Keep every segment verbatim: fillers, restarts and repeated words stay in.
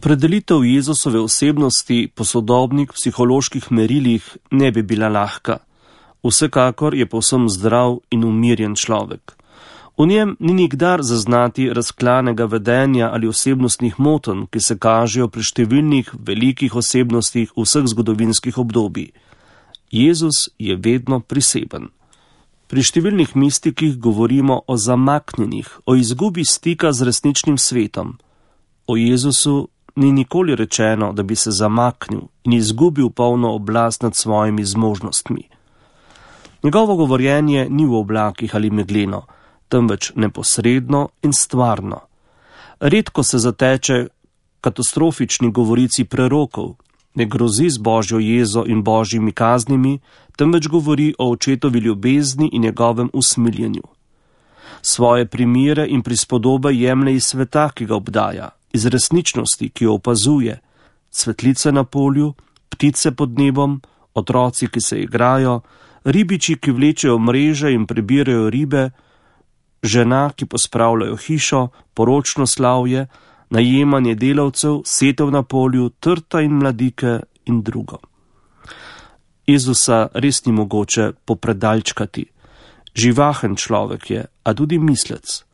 Opredelitev Jezusove osebnosti po sodobnih psiholoških merilih ne bi bila lahka. Vsekakor je povsem zdrav in umirjen človek. V njem ni nikdar zaznati razklanega vedenja ali osebnostnih motenj, ki se kažejo pri številnih velikih osebnostih vseh zgodovinskih obdobij. Jezus je vedno priseben. Pri številnih mistikih govorimo o zamaknjenih, o izgubi stika z resničnim svetom. O Jezusu ni nikoli rečeno, da bi se zamaknil in izgubil polno oblast nad svojimi zmožnostmi. Njegovo govorjenje ni v oblakih ali megleno, temveč neposredno in stvarno. Redko se zateče katastrofični govorici prerokov, ne grozi z božjo jezo in božjimi kaznimi, temveč govori o očetovi ljubezni in njegovem usmiljenju. Svoje primere in prispodobe jemlje iz sveta, ki ga obdaja, iz resničnosti, ki jo opazuje, cvetlice na polju, ptice pod nebom, otroci, ki se igrajo, ribiči, ki vlečejo mreže in prebirajo ribe, žena, ki pospravljajo hišo, poročno slavje, najemanje delavcev, setev na polju, trta in mladike in drugo. Jezusa res ni mogoče popredalčkati. Živahen človek je, a tudi mislec.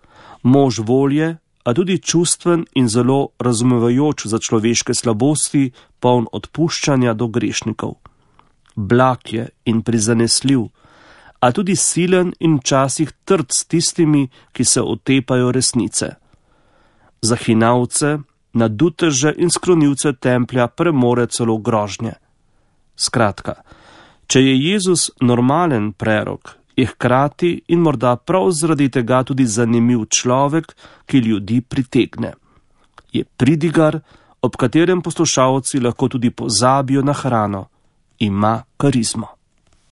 Mož volje, a tudi čustven in zelo razumevajoč za človeške slabosti, poln odpuščanja do grešnikov. Blag je in prizanesljiv, a tudi silen in včasih trd s tistimi, ki se otepajo resnice. Za hinavce, naduteže in sklonilce templja premore celo grožnje. Skratka, če je Jezus normalen prerok, je hkrati in morda prav zaradi tega tudi zanimiv človek, ki ljudi pritegne. Je pridigar, ob katerem poslušalci lahko tudi pozabijo na hrano. Ima karizmo.